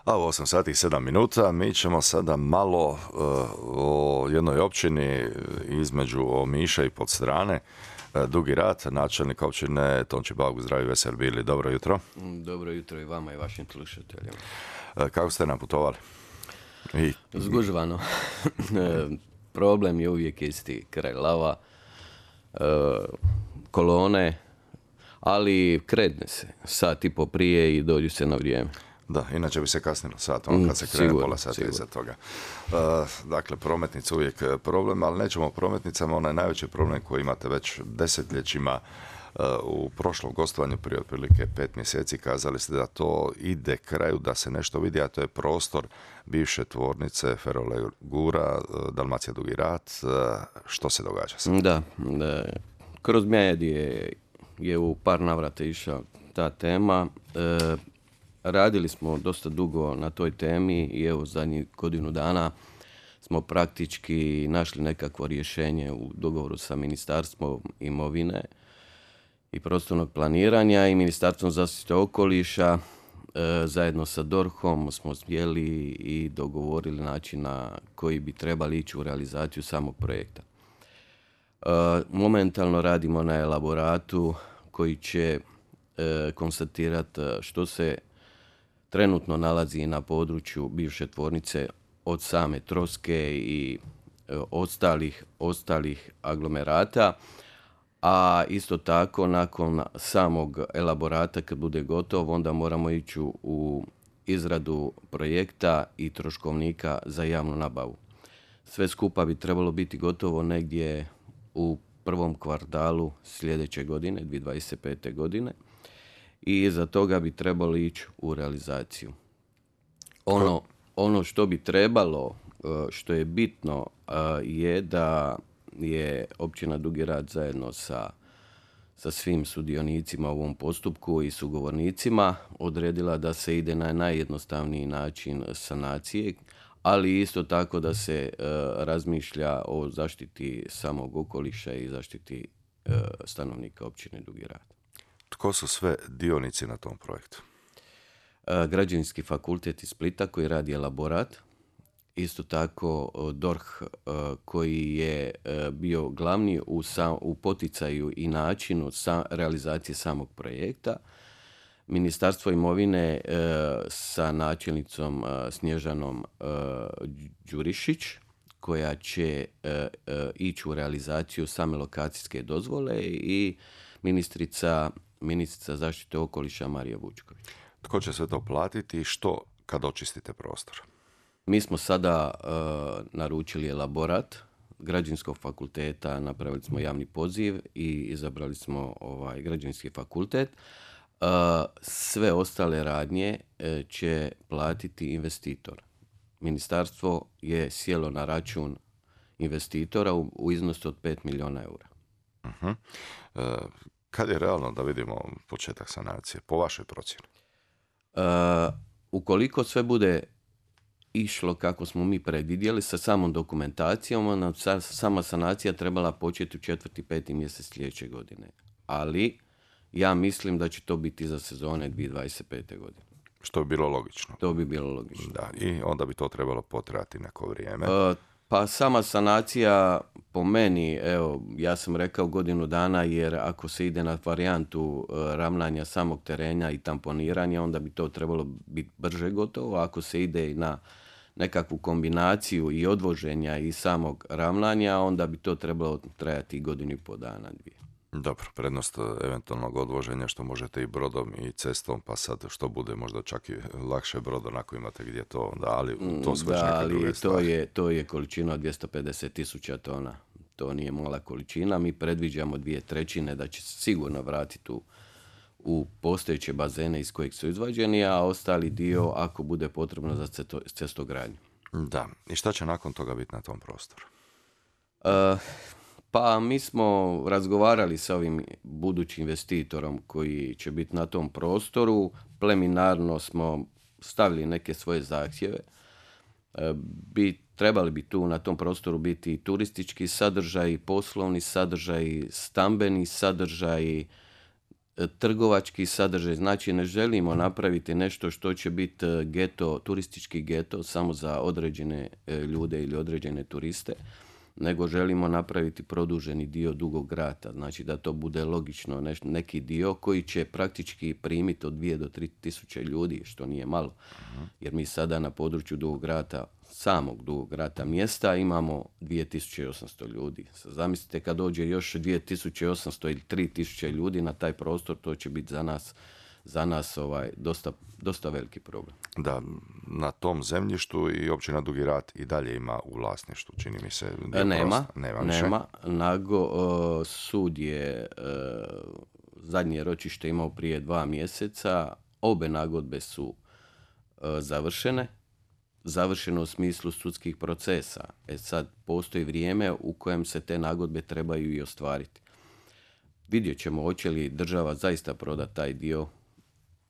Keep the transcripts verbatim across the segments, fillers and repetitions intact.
A u osam sati i sedam minuta mi ćemo sada malo uh, o jednoj općini između Omiša i Podstrane. Uh, Dugi Rat, načelnik općine Tonči Bauk, zdravi, veseli bili. Dobro jutro. Dobro jutro i vama i vašim slušateljima. Uh, kako ste naputovali? I... Zgužvano. Problem je uvijek isti, kraj lava, uh, kolone, ali kredne se sat i po prije i dođu se na vrijeme. Da, inače bi se kasnilo sat, ono kad se krene Sigurno, pola sata sigurno. iza toga. Uh, dakle, prometnica uvijek problem, ali nećemo o prometnicama, onaj najveći problem koji imate već desetljećima. Uh, u prošlom gostovanju prije otprilike pet mjeseci kazali ste da to ide kraju, da se nešto vidi, a to je prostor bivše tvornice Ferolegura, uh, Dalmacija Dugi Rat. Uh, što se događa sad? Da, da. Kroz medije je u par navrata išla ta tema. E, radili smo dosta dugo na toj temi i evo zadnjih godinu dana smo praktički našli nekakvo rješenje u dogovoru sa Ministarstvom imovine i prostornog planiranja i Ministarstvom zaštite okoliša. E, zajedno sa dorhom smo sjeli i dogovorili način na koji bi trebali ići u realizaciju samog projekta. E, momentalno radimo na elaboratu koji će e, konstatirati što se trenutno nalazi na području bivše tvornice od same troske i e, ostalih, ostalih aglomerata, a isto tako nakon samog elaborata kad bude gotov onda moramo ići u izradu projekta i troškovnika za javnu nabavu. Sve skupa bi trebalo biti gotovo negdje u prvom kvartalu sljedeće godine, dvije tisuće dvadeset pete. godine, i iza toga bi trebalo ići u realizaciju. Ono, ono što bi trebalo, što je bitno, je da je općina Dugi Rat zajedno sa, sa svim sudionicima u ovom postupku i sugovornicima odredila da se ide na najjednostavniji način sanacije, ali isto tako da se uh, razmišlja o zaštiti samog okoliša i zaštiti uh, stanovnika općine Dugi Rat. Tko su sve dionici na tom projektu? Uh, Građevinski fakultet iz Splita koji radi elaborat, isto tako uh, dorh uh, koji je uh, bio glavni u, sam, u poticaju i načinu sa, realizacije samog projekta, Ministarstvo imovine e, sa načelnicom e, Snježanom e, Đurišić, koja će e, e, ići u realizaciju same lokacijske dozvole, i ministrica, ministrica zaštite okoliša Marija Vučković. Tko će sve to platiti i što kad očistite prostor? Mi smo sada e, naručili elaborat Građevinskog fakulteta, napravili smo javni poziv i izabrali smo ovaj Građevinski fakultet. Uh, sve ostale radnje uh, će platiti investitor. Ministarstvo je sjelo na račun investitora u, u iznosu od pet milijuna eura. Uh-huh. Uh, kad je realno da vidimo početak sanacije, po vašoj procjeni? Uh, ukoliko sve bude išlo kako smo mi predvidjeli sa samom dokumentacijom, ona, sa, sama sanacija trebala početi u četvrti, peti mjesec sljedeće godine. Ali ja mislim da će to biti za sezone dvije tisuće dvadeset pete. godine. Što bi bilo logično. To bi bilo logično. Da, i onda bi to trebalo potrajati neko vrijeme. Uh, pa sama sanacija po meni, evo, ja sam rekao godinu dana, jer ako se ide na varijantu uh, ravnanja samog terena i tamponiranja, onda bi to trebalo biti brže gotovo. Ako se ide na nekakvu kombinaciju i odvoženja i samog ravnanja, onda bi to trebalo trajati godinu i pol dana, dvije. Dobro, prednost eventualnog odvoženja što možete i brodom i cestom, pa sad što bude možda čak i lakše brodom ako imate gdje to, da, ali to su već da, neke druge ali stvari. to je, to je količina od dvjesto pedeset tisuća tona. To nije mala količina. Mi predviđamo dvije trećine da će sigurno vratiti u, u postojeće bazene iz kojih su izvađeni, a ostali dio ako bude potrebno za cesto, cestogradnju. Da, i šta će nakon toga biti na tom prostoru? Uh, Pa mi smo razgovarali sa ovim budućim investitorom koji će biti na tom prostoru. Preliminarno smo stavili neke svoje zahtjeve. Bi, trebali bi tu na tom prostoru biti turistički sadržaj, poslovni sadržaj, stambeni sadržaj, trgovački sadržaj. Znači ne želimo napraviti nešto što će biti geto, turistički geto samo za određene ljude ili određene turiste, nego želimo napraviti produženi dio Dugog Rata. Znači da to bude logično neš, neki dio koji će praktički primiti od dvije do tri tisuće ljudi, što nije malo. Jer mi sada na području Dugog Rata, samog Dugog Rata mjesta, imamo dvije tisuće osamsto ljudi. Zamislite kad dođe još dvije tisuće osamsto ili tri tisuće ljudi na taj prostor, to će biti za nas za nas ovaj, dosta, dosta veliki problem. Da, na tom zemljištu i općina Dugi Rat i dalje ima u vlasništvu, čini mi se. Nema, nema, nema. Nago, uh, sud je uh, zadnje ročište imao prije dva mjeseca. Obe nagodbe su uh, završene. Završeno u smislu sudskih procesa. E sad, postoji vrijeme u kojem se te nagodbe trebaju i ostvariti. Vidjet ćemo hoće li država zaista prodati taj dio.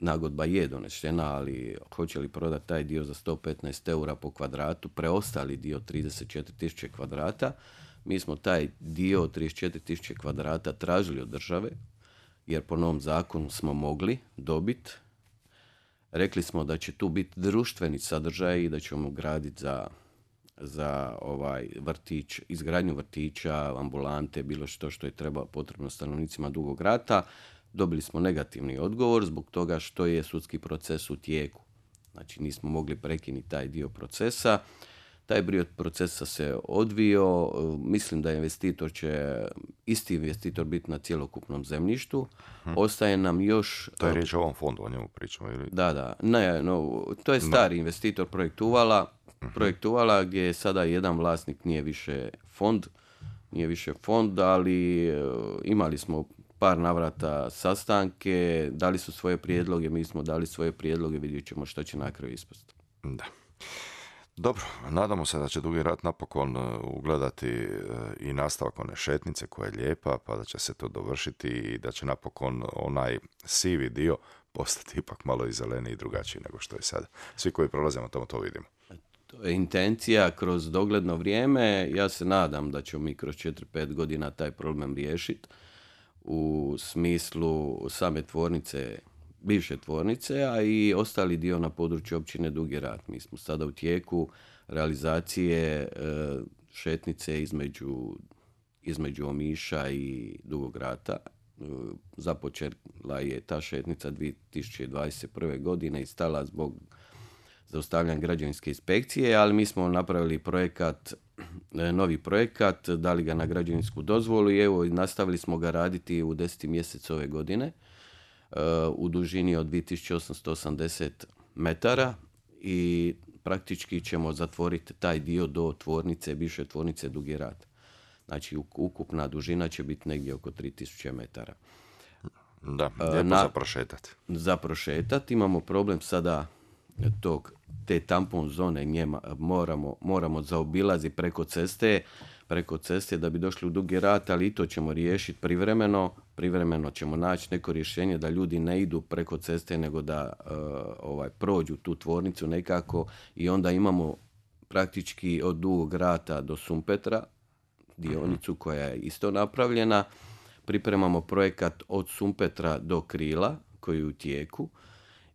Nagodba je donešena, ali hoće li prodati taj dio za sto petnaest eura po kvadratu, preostali dio trideset četiri tisuće kvadrata. Mi smo taj dio trideset četiri tisuće kvadrata tražili od države, jer po novom zakonu smo mogli dobiti. Rekli smo da će tu biti društveni sadržaj i da ćemo graditi za, za ovaj vrtić, izgradnju vrtića, ambulante, bilo što što je treba potrebno stanovnicima Dugog Rata. Dobili smo negativni odgovor zbog toga što je sudski proces u tijeku. Znači nismo mogli prekinuti taj dio procesa. Taj dio procesa se odvio. Mislim da investitor će, isti investitor biti na cjelokupnom zemljištu. Hmm. Ostaje nam još... To je riječ o ovom fondu, o njemu pričamo. Ili? Da, da. Ne, no, to je stari no. investitor projekt Uvala. Hmm. Projekt Uvala gdje je sada jedan vlasnik, nije više fond. Nije više fond, ali imali smo par navrata sastanke, dali su svoje prijedloge, mi smo dali svoje prijedloge, vidjet ćemo što će na kraju ispasti. Da. Dobro, nadamo se da će Dugi Rat napokon ugledati i nastavak one šetnice koja je lijepa, pa da će se to dovršiti i da će napokon onaj sivi dio postati ipak malo i zeleniji i drugačiji nego što je sada. Svi koji prolazimo tamo to vidimo. To je intencija kroz dogledno vrijeme. Ja se nadam da ćemo mi kroz četiri pet godina taj problem riješiti u smislu same tvornice, bivše tvornice, a i ostali dio na području općine Dugi Rat. Mi smo sada u tijeku realizacije e, šetnice između, između Omiša i Dugog Rata. E, započela je ta šetnica dvije tisuće dvadeset prve. godine i stala zbog zaustavljanja građevinske inspekcije, ali mi smo napravili projekat, novi projekat, dali ga na građevinsku dozvolu i evo nastavili smo ga raditi u deseti mjesec ove godine u dužini od dvije tisuće osamsto osamdeset metara i praktički ćemo zatvoriti taj dio do tvornice, bivše tvornice Dugi Rat. Znači ukupna dužina će biti negdje oko tri tisuće metara. Da, lijepo za prošetati. Za prošetati. Imamo problem sada tog, te tampon zone njema, moramo, moramo zaobilaziti preko ceste, preko ceste da bi došli u Dugi Rat, ali i to ćemo riješiti privremeno. Privremeno ćemo naći neko rješenje da ljudi ne idu preko ceste, nego da uh, ovaj, prođu tu tvornicu nekako i onda imamo praktički od Dugog Rata do Sumpetra, dionicu koja je isto napravljena. Pripremamo projekat od Sumpetra do Krila koji je u tijeku.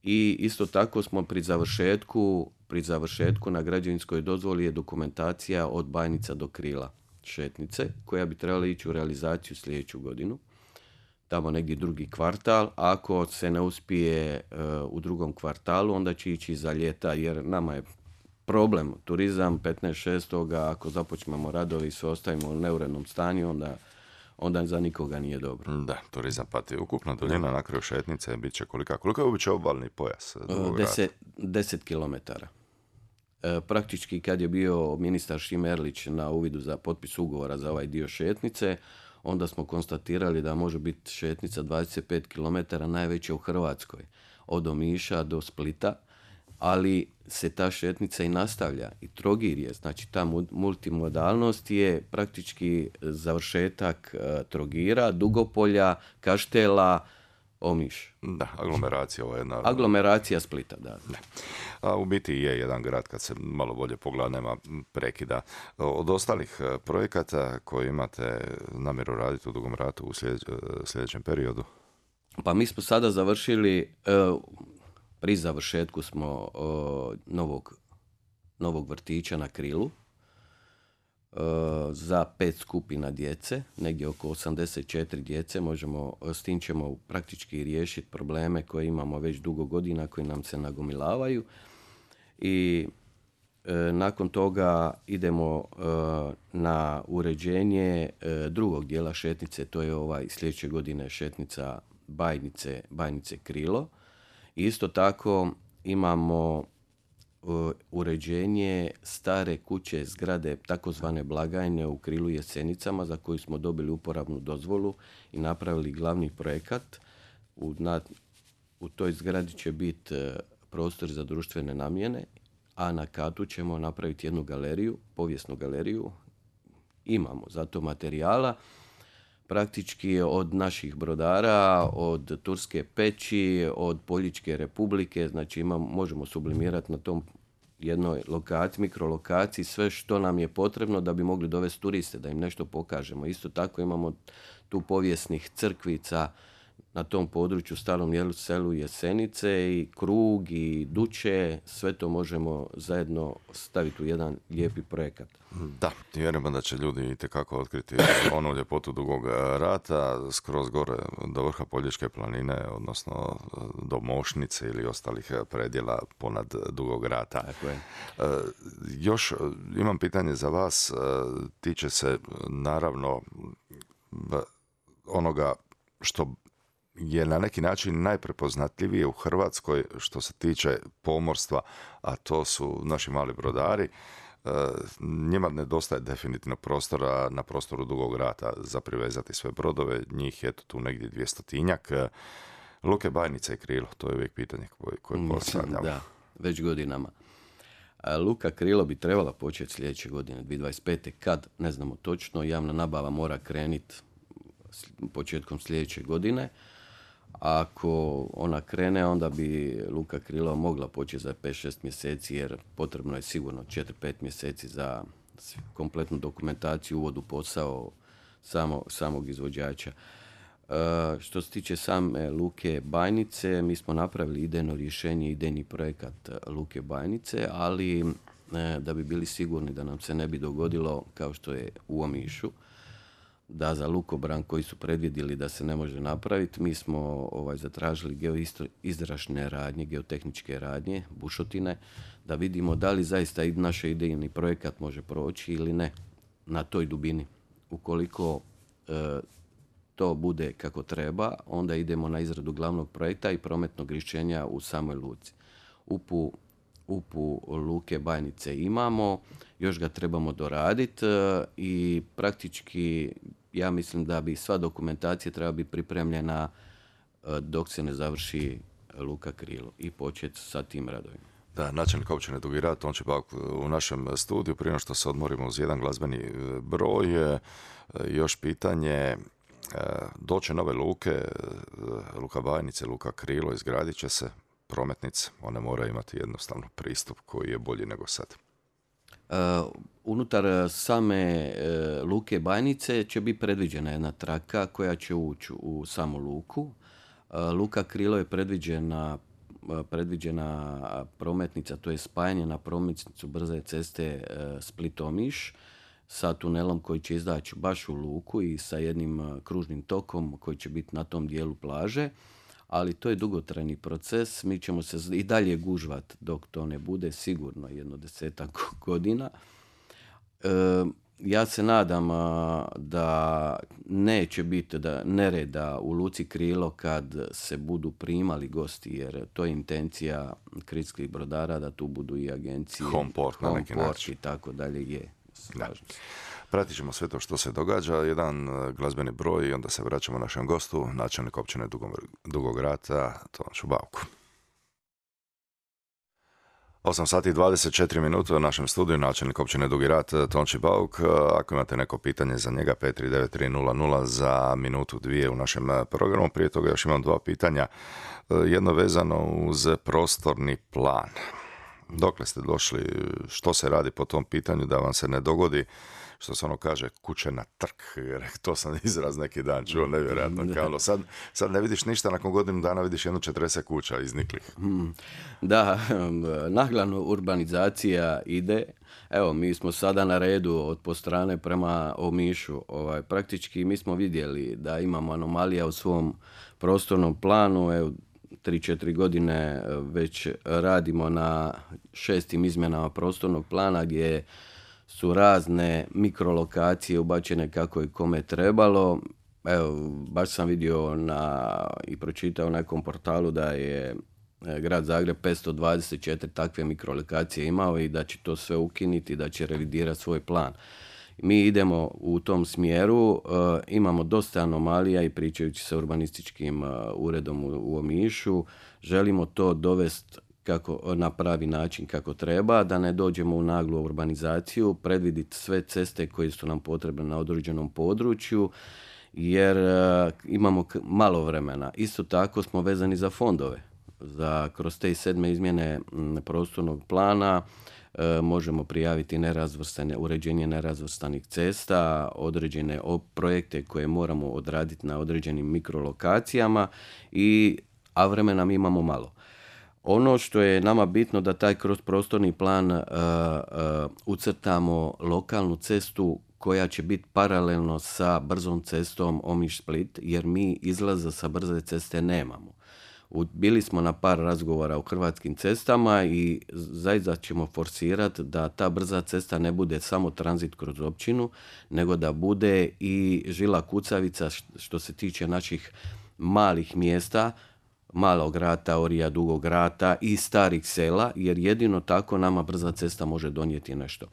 I isto tako smo pri završetku, pri završetku na građevinskoj dozvoli je dokumentacija od Bajnica do Krila šetnice, koja bi trebala ići u realizaciju sljedeću godinu. Tamo negdje drugi kvartal. Ako se ne uspije uh, u drugom kvartalu, onda će ići za ljeta, jer nama je problem turizam petnaest šest. Ako započnemo radovi i sve ostavimo u neurednom stanju, onda onda za nikoga nije dobro. Da, turizam pati. Ukupna duljina na kraju šetnice bit će kolika? Koliko je uopće obalni pojas? Deset, deset kilometara. E, praktički kad je bio ministar Šimerlić na uvidu za potpis ugovora za ovaj dio šetnice, onda smo konstatirali da može biti šetnica dvadeset pet kilometara, najveća u Hrvatskoj, od Omiša do Splita, ali se ta šetnica i nastavlja. I Trogir je, znači ta multimodalnost je praktički završetak uh, Trogira, Dugopolja, Kaštela, Omiš. Da, aglomeracija ovo je jedna... Aglomeracija Splita, da. Ne. A u biti je jedan grad, kad se malo bolje pogleda, nema prekida. Od ostalih projekata koje imate namjeru raditi u Dugom Ratu u sljedeć, sljedećem periodu? Pa mi smo sada završili, e, pri završetku smo e, novog, novog vrtića na Krilu e, za pet skupina djece, negdje oko osamdeset četiri djece. Možemo, s tim ćemo praktički riješiti probleme koje imamo već dugo godina, koji nam se nagomilavaju. I e, nakon toga idemo e, na uređenje e, drugog dijela šetnice, to je ovaj sljedeće godine šetnica Bajnice, Bajnice Krilo. Isto tako imamo uh, uređenje stare kuće, zgrade, takozvane blagajne u Krilu Jesenicama, za koju smo dobili uporabnu dozvolu i napravili glavni projekat. U, na, u toj zgradi će biti uh, prostor za društvene namjene, a na katu ćemo napraviti jednu galeriju, povijesnu galeriju. Imamo za to materijala. Praktički od naših brodara, od Turske peći, od Poljičke republike, znači imamo, možemo sublimirati na tom jednoj lokaciji, mikrolokaciji, sve što nam je potrebno da bi mogli dovesti turiste, da im nešto pokažemo. Isto tako imamo tu povijesnih crkvica na tom području, starom jelu, selu Jesenice, i Krug i Duče, sve to možemo zajedno staviti u jedan lijepi projekat. Da, vjerujemo da će ljudi itekako otkriti onu ljepotu Dugog rata, skroz gore do vrha Poljičke planine, odnosno do Mošnice ili ostalih predjela ponad Dugog rata. Tako je. E, još imam pitanje za vas, tiče se naravno onoga što je na neki način najprepoznatljivije u Hrvatskoj što se tiče pomorstva, a to su naši mali brodari. E, njima nedostaje definitivno prostora na prostoru Dugog rata za privezati sve brodove, njih je tu negdje dvjestotinjak. Luke Bajnice i Krilo, to je uvijek pitanje koje, koje postavljamo. Da, već godinama. Luka Krilo bi trebala početi sljedeće godine, dvije tisuće dvadeset pete. Kad, ne znamo točno, javna nabava mora krenuti početkom sljedeće godine. Ako ona krene, onda bi Luka Krilo mogla početi za pet šest mjeseci, jer potrebno je sigurno četiri pet mjeseci za kompletnu dokumentaciju, uvod u posao samo, samog izvođača. E, što se tiče same Luke Bajnice, mi smo napravili idejno rješenje, idejni projekat Luke Bajnice, ali e, da bi bili sigurni da nam se ne bi dogodilo kao što je u Omišu, da za lukobran koji su predvidjeli da se ne može napraviti, mi smo ovaj, zatražili geoizrašne radnje, geotehničke radnje, bušotine, da vidimo da li zaista i naš idejni projekat može proći ili ne na toj dubini. Ukoliko e, to bude kako treba, onda idemo na izradu glavnog projekta i prometnog rješenja u samoj luci. Upu Upu Luke Bajnice imamo, još ga trebamo doraditi i praktički ja mislim da bi sva dokumentacija treba biti pripremljena dok se ne završi Luka Krilo i početi sa tim radovima. Da, načelnik općine Dugi Rat, Tonči Bauk u našem studiju. Prije što se odmorimo uz jedan glazbeni broj, još pitanje, doće nove luke, Luka Bajnice, Luka Krilo, izgradit će se prometnice, one moraju imati jednostavno pristup koji je bolji nego sad. Uh, unutar same uh, Luke Bajnice će biti predviđena jedna traka koja će ući u samu luku. Uh, Luka Krilo je predviđena, uh, predviđena prometnica, to je spajanje na prometnicu brze ceste uh, Split-Omiš sa tunelom koji će izaći baš u luku i sa jednim uh, kružnim tokom koji će biti na tom dijelu plaže. Ali to je dugotrajni proces, mi ćemo se i dalje gužvat dok to ne bude, sigurno jedno desetak godina. E, ja se nadam a, da neće biti da nereda u Luci Krilo kad se budu primali gosti, jer to je intencija kritskih brodara da tu budu i agencije, Homeport na neki način i tako dalje je. Slažem se. Pratit ćemo sve to što se događa, jedan glazbeni broj i onda se vraćamo našem gostu, načelnik općine Dugog Rata, Tonči Bauku. osam sati i dvadeset četiri minute u našem studiju, načelnik općine Dugi Rat, Tonči Bauk. Ako imate neko pitanje za njega, pet tri devet tri nula nula za minutu dvije u našem programu. Prije toga još imam dva pitanja. Jedno vezano uz prostorni plan. Dokle ste došli, što se radi po tom pitanju da vam se ne dogodi, što se ono kaže, kuće na trk, jer to sam izraz neki dan čuo, nevjerojatno. Kao, sad, sad ne vidiš ništa, nakon godinu dana vidiš jedno četrdeset kuća izniklih. Da, naglano urbanizacija ide. Evo, mi smo sada na redu od Postrane prema Omišu. Ovaj, praktički mi smo vidjeli da imamo anomalija u svom prostornom planu. Evo, tri četiri godine već radimo na šestim izmjenama prostornog plana gdje su razne mikrolokacije ubačene kako i kome trebalo. Evo, baš sam vidio na, i pročitao na nekom portalu da je Grad Zagreb petsto dvadeset četiri takve mikrolokacije imao i da će to sve ukinuti, da će revidirati svoj plan. Mi idemo u tom smjeru, e, imamo dosta anomalija i pričajući sa urbanističkim e, uredom u, u Omišu, želimo to dovesti kako, na pravi način kako treba, da ne dođemo u naglu urbanizaciju, predviditi sve ceste koje su nam potrebne na određenom području, jer e, imamo k- malo vremena. Isto tako smo vezani za fondove. Za, kroz te sedme izmjene m, prostornog plana e, možemo prijaviti nerazvrstane, uređenje nerazvrstanih cesta, određene op- projekte koje moramo odraditi na određenim mikrolokacijama, i, a vremena mi imamo malo. Ono što je nama bitno da taj kroz prostorni plan uh, uh, ucrtamo lokalnu cestu koja će biti paralelno sa brzom cestom Omiš-Split, jer mi izlaza sa brze ceste nemamo. U, bili smo na par razgovora u Hrvatskim cestama i zaista ćemo forsirati da ta brza cesta ne bude samo tranzit kroz općinu, nego da bude i žila kucavica što se tiče naših malih mjesta, Malog Rata, Orija, Dugog Rata i starih sela, jer jedino tako nama brza cesta može donijeti nešto.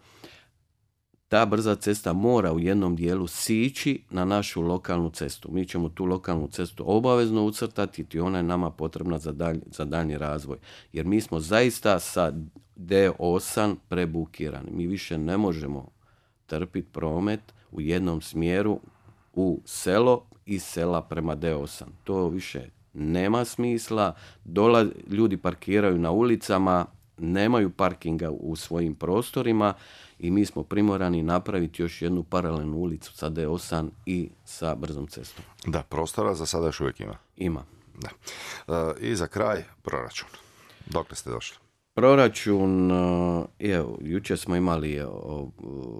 Ta brza cesta mora u jednom dijelu sići na našu lokalnu cestu. Mi ćemo tu lokalnu cestu obavezno ucrtati i ona je nama potrebna za, dalj, za daljnji razvoj. Jer mi smo zaista sa D osam prebukirani. Mi više ne možemo trpiti promet u jednom smjeru u selo i sela prema D osam. To više nema smisla. Dola, ljudi parkiraju na ulicama, nemaju parkinga u svojim prostorima i mi smo primorani napraviti još jednu paralelnu ulicu sa D osam i sa brzom cestom. Da, prostora za sada još uvijek ima. Ima. Da. E, I za kraj, proračun. Dokle ste došli? Proračun, evo, jučer smo imali o, o,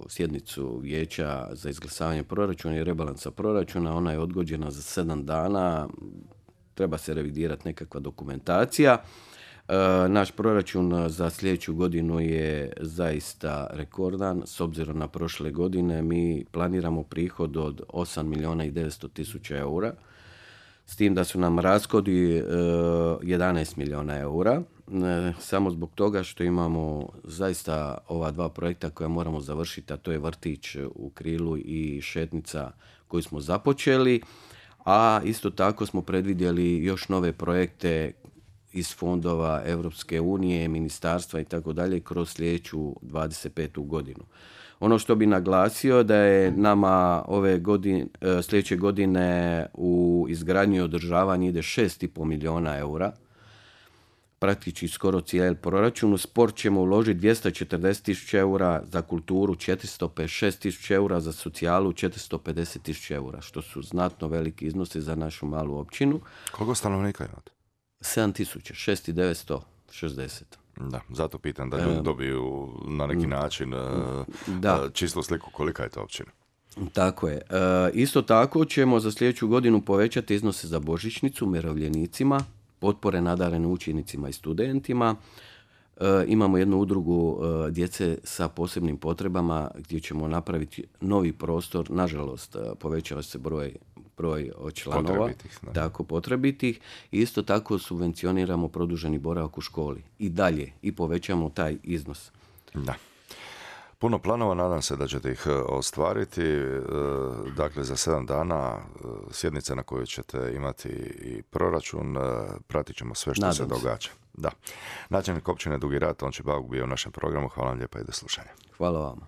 sjednicu vijeća za izglasavanje proračuna i rebalansa proračuna. Ona je odgođena za sedam dana. Treba se revidirati nekakva dokumentacija. E, naš proračun za sljedeću godinu je zaista rekordan. S obzirom na prošle godine mi planiramo prihod od osam milijuna i devetsto tisuća eura. S tim da su nam rashodi e, jedanaest milijuna eura. E, samo zbog toga što imamo zaista ova dva projekta koja moramo završiti, a to je vrtić u Krilu i šetnica koju smo započeli. A isto tako smo predvidjeli još nove projekte iz fondova Europske unije, ministarstva i tako dalje kroz sljedeću dvadeset petu godinu. Ono što bi naglasio da je nama ove godine, sljedeće godine u izgradnju i održavanje ide šest i pol milijuna eura. Praktički skoro cijeli proračun. U sport ćemo uložiti dvjesto četrdeset tisuća eura, za kulturu četiristo pedeset šest tisuća eura, za socijalu četiristo pedeset tisuća eura, što su znatno veliki iznosi za našu malu općinu. Koliko stanovnika imate? sedam tisuća, šest tisuća devetsto šezdeset. Da, zato pitam da ljudi dobiju na neki način da. čistu sliku kolika je to općina. Tako je. E, isto tako ćemo za sljedeću godinu povećati iznose za božićnicu umirovljenicima, potpore nadarenim učenicima i studentima. E, imamo jednu udrugu e, djece sa posebnim potrebama gdje ćemo napraviti novi prostor. Nažalost, e, povećava se broj, broj članova. Potrebitih, da. Tako, potrebitih. Isto tako subvencioniramo produženi boravak u školi. I dalje. I povećamo taj iznos. Da. Puno planova, nadam se da ćete ih ostvariti. Dakle, za sedam dana sjednica na kojoj ćete imati i proračun, pratit ćemo sve što Nadam se događa. Da. Načelnik općine Dugi Rat, Tonči Bauk, bio u našem programu. Hvala vam lijepa i do slušanja. Hvala vama.